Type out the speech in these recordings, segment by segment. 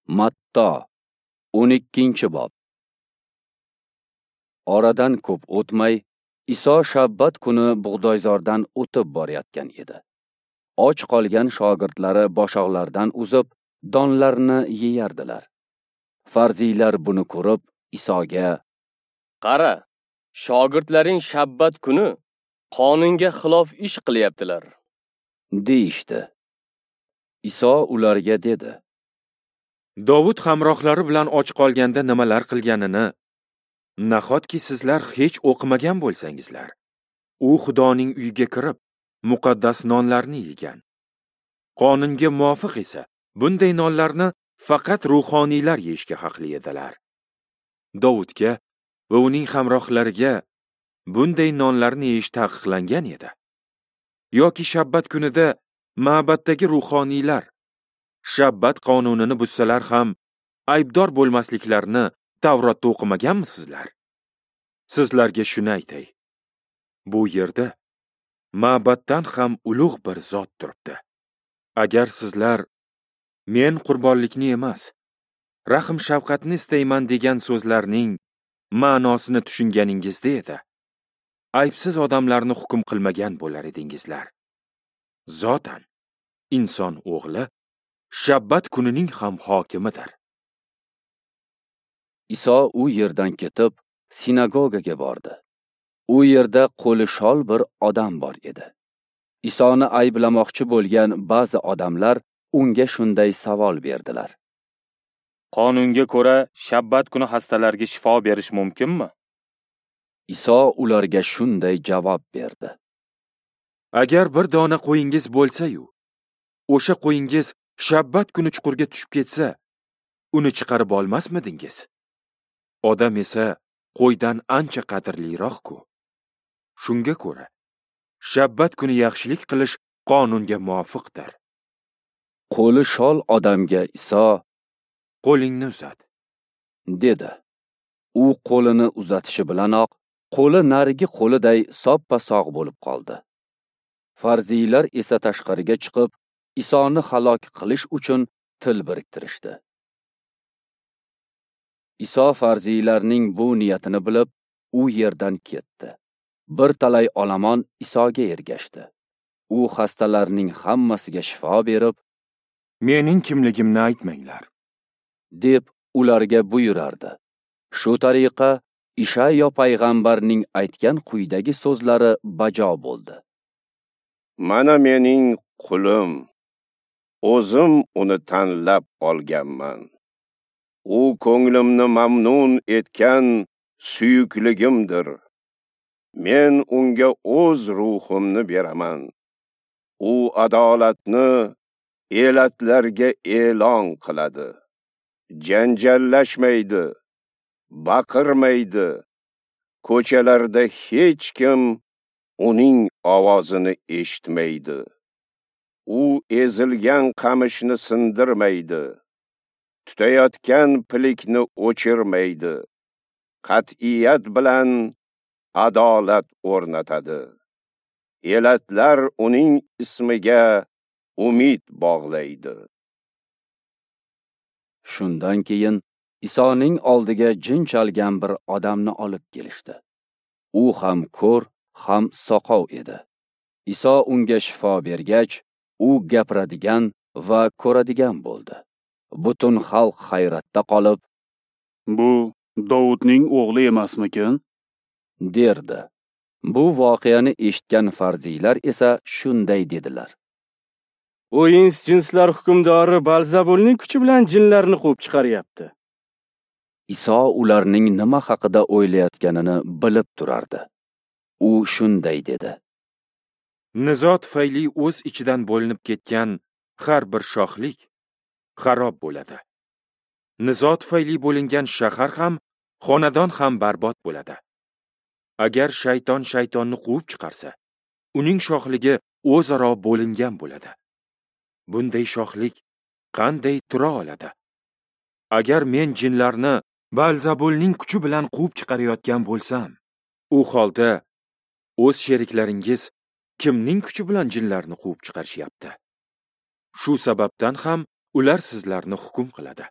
Matto, 12-bob. Oradan ko'p o'tmay, Iso shabbat kuni bug'doyzordan o'tib borayotgan edi. Och qolgan shogirdlari boshoqlardan uzib, donlarni yeyardilar. Farziylar buni ko'rib, Isoga: "Qara, shogirdlaring shabbat kuni qonunga xilof ish qilyaptilar", deyishdi. Iso ularga dedi: Dovud hamrohlari bilan och qolganda nimalar qilganini nahotki sizlar hech o'qimagan bo'lsangizlar. U Xudoning uyiga kirib, muqaddas nonlarni yegan. Qonunga muvofiq esa bunday nonlarni faqat ruhoniylar yeyishga haqli edilar. Dovudga va uning hamrohlariga bunday nonlarni yeyish taqiqlangan edi. Yoki shabbat kunida ma'baddagi ruhoniylar shabbat qonunini buzsalar ham aybdor bo'lmasliklarini Tavrotda o'qimaganmisizlar? Sizlarga shuni aytay. Bu yerda ma'batdan ham ulug' bir zot turibdi. Agar sizlar men qurbonlikni emas, rahm shafqatni istayman degan so'zlarning ma'nosini tushunganingizda edi, aybsiz odamlarni hukm qilmagan bo'lar edingizlar. Zotan inson o'g'li shabbat kunining ham hokimidir. Iso u yerdan ketib, sinagogaga bordi. U yerda qo'li shol bir odam bor edi. Isoni ayblamoqchi bo'lgan ba'zi odamlar unga shunday savol berdilar: Qonunga ko'ra shabbat kuni xastalarga shifo berish mumkinmi? Iso ularga shunday javob berdi: Agar bir dona qo'yingiz bo'lsa-yu, o'sha qo'yingiz shabbat kuni chuqurga tushib ketsa, uni chiqarib olmasmidingiz? Odam esa qo'ydan ancha qadrliroq-ku. Shunga ko'ra, shabbat kuni yaxshilik qilish qonunga muvofiqdir. Qo'li shol odamga Iso: "Qo'lingni uzat", dedi. U qo'lini uzatishi bilanoq, qo'li narigi qo'liday soppa-sog' bo'lib qoldi. Farziylar esa tashqariga chiqib, Isoni halok qilish uchun til biriktirishdi. Iso farziylarning bu niyatini bilib, u yerdan ketdi. Bir talay olomon Isoga ergashdi. U xastalarning hammasiga shifo berib, "Mening kimligimni aytmanglar", deb ularga buyurardi. Shu tariqa Ishayo payg'ambarning aytgan quyidagi so'zlari bajo bo'ldi: "Mana mening qulim, o'zim uni tanlab olganman. U ko'nglimni mamnun etgan suyukligimdir. Men unga o'z ruhimni beraman. U adolatni elatlarga e'lon qiladi. Janjallashmaydi, baqirmaydi. Ko'chalarda hech kim uning ovozini eshitmaydi. U ezilgan qamishni sindirmaydi, tutayotgan pilikni o'chirmaydi. Qat'iyat bilan adolat o'rnatadi. Elatlar uning ismiga umid bog'laydi." Shundan keyin Isoning oldiga jin chalgan bir odamni olib kelishdi. U ham ko'r, ham soqov edi. Iso unga shifo bergach, u gapiradigan va ko'radigan bo'ldi. Butun xalq hayratda qolib, "Bu Dovudning o'g'li emasmikin?" derdi. Bu voqeani eshitgan farziylar esa shunday dedilar: "U ins jinslar hukmdori Balzabulning kuchi bilan jinlarni quvib chiqaryapti." Iso ularning nima haqida o'ylayotganini bilib turardi. U shunday dedi: Nizo tufayli o'z ichidan bo'linib ketgan har bir shohlik xarob bo'ladi. Nizo tufayli bo'lingan shahar ham, xonadon ham barbod bo'ladi. Agar shayton shaytonni quvib chiqarsa, uning shohligi o'zaro bo'lingan bo'ladi. Bunday shohlik qanday tura oladi? Agar men jinlarni Balzabulning kuchi bilan quvib chiqarayotgan bo'lsam, u holda o'z sheriklaringiz kimning kuchi bilan jinlarni quvib chiqarishyapti? Shu sababdan ham ular sizlarni hukm qiladi.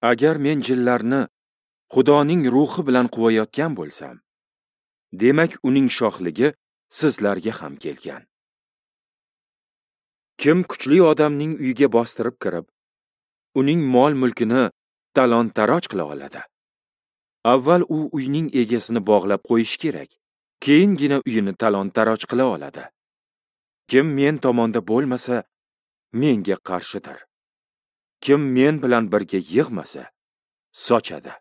Agar men jinlarni Xudoning ruhi bilan quvayotgan bo'lsam, demak uning shohligi sizlarga ham kelgan. Kim kuchli odamning uyiga bostirib kirib, uning mol-mulkini talon-taroj qila oladi? Avval u uyning egasini bog'lab qo'yish kerak, keyingina uyini talon-taroj qila oladi. Kim men tomonda bo'lmasa, menga qarshidir. Kim men bilan birga yig'masa, sochadi.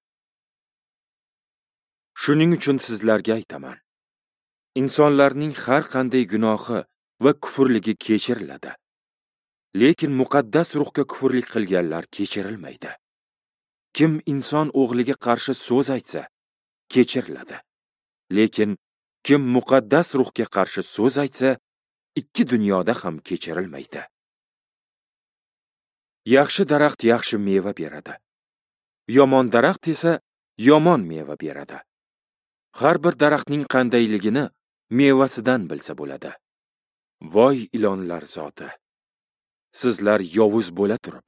Shuning uchun sizlarga aytaman, insonlarning har qanday gunohi va kufrligi kechiriladi. Lekin muqaddas ruhga kufrlik qilganlar kechirilmaydi. Kim inson o'g'liga qarshi so'z aytsa, kechiriladi. Lekin kim muqaddas ruhga qarshi so'z aytsa, ikki dunyoda ham kechirilmaydi. Yaxshi daraxt yaxshi meva beradi. Yomon daraxt esa yomon meva beradi. Har bir daraxtning qandayligini mevasidan bilsa bo'ladi. Voy ilonlar zoti! Sizlar yovuz bo'la turib,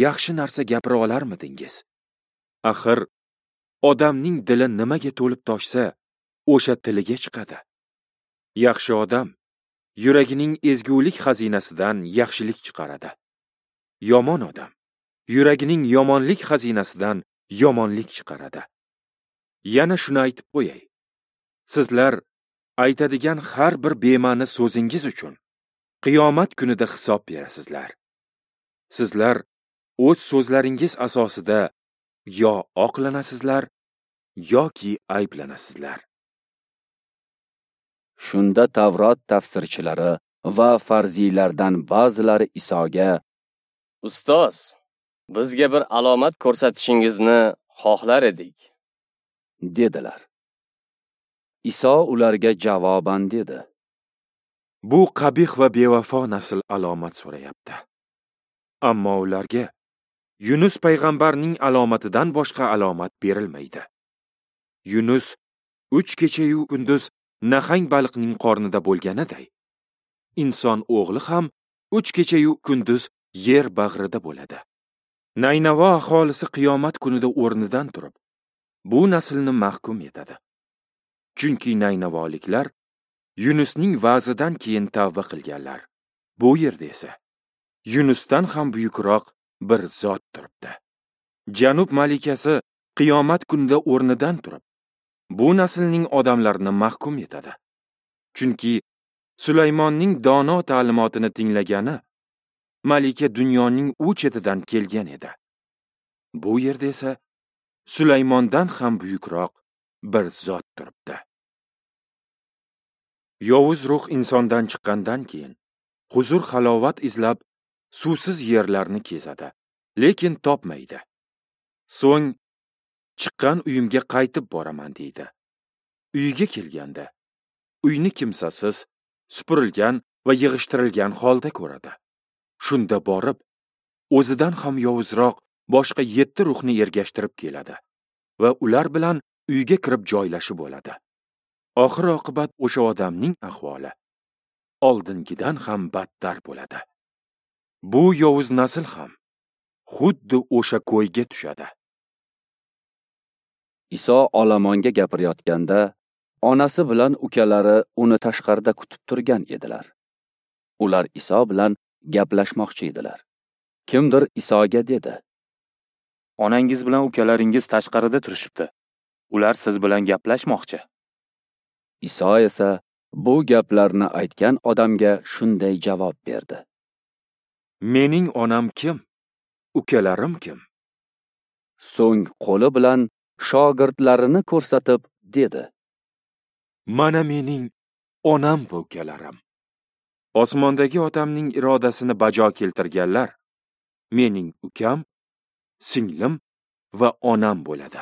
yaxshi narsa gapira olarmidingiz? Axir, odamning dili nimaga to'lib toshsa, o'sha tiliga chiqadi. Yaxshi odam yuragining ezgulik xazinasidan yaxshilik chiqaradi. Yomon odam yuragining yomonlik xazinasidan yomonlik chiqaradi. Yana shuni aytib qo'yay. Sizlar aytadigan har bir bema'ni so'zingiz uchun qiyomat kunida hisob berasizlar. Sizlar o'z so'zlaringiz asosida yo oqlanasizlar yoki ayblanasizlar. Shunda Tavrot tafsirchilari va farziylardan ba'zilari Isoga: "Ustoz, bizga bir alomat ko'rsatishingizni xohlar edik", dedilar. Iso ularga javoban dedi: "Bu qabih va bevafo nasl alomat so'rayapti. Ammo ularga Yunus payg'ambarning alomatidan boshqa alomat berilmaydi. Yunus 3 kecha-yu kunduz nahang baliqning qornida bo'lganiday, inson o'g'li ham 3 kecha-yu kunduz yer bag'rida bo'ladi. Naynavo aholisi qiyomat kunida o'rnidan turib, bu naslni mahkum etadi. Chunki naynavoliklar Yunusning va'zidan keyin tavba qilganlar. Bu yerda esa Yunusdan ham buyukroq bir zot turibdi. Janub malikasi qiyomat kunida o'rnidan turib, bu naslning odamlarini mahkum etadi. Chunki Sulaymonning dono ta'limotini tinglagani malika dunyoning u chetidan kelgan edi. Bu yerda esa Sulaymondan ham buyukroq bir zot turibdi. Yovuz ruh insondan chiqqandan keyin huzur halovat izlab suvsiz yerlarni kezadi, lekin topmaydi. So'ng chiqqan uyimga qaytib boraman deydi. Uyiga kelganda uyni kimsasiz, supurilgan va yig'ishtirilgan holda ko'radi. Shunda borib, o'zidan ham yovuzroq boshqa 7 ruhni ergashtirib keladi va ular bilan uyga kirib joylashib oladi. Oxir oqibat o'sha odamning ahvoli oldingidan ham battar bo'ladi. Bu yovuz nasl ham xuddi o'sha ko'yga tushadi." Iso olomonga gapirayotganda, onasi bilan ukalari uni tashqarida kutib turgan edilar. Ular Iso bilan gaplashmoqchi edilar. Kimdir Isoga dedi: "Onangiz bilan ukalaringiz tashqarida turishibdi. Ular siz bilan gaplashmoqchi." Iso esa bu gaplarni aytgan odamga shunday javob berdi: "Mening onam kim? Ukalarim kim?" So'ng qo'li bilan shogirdlarini ko'rsatib dedi: "Mana mening onam va ukalarim. Osmondagi otamning irodasini bajo keltirganlar mening ukam, singlim va onam bo'ladi."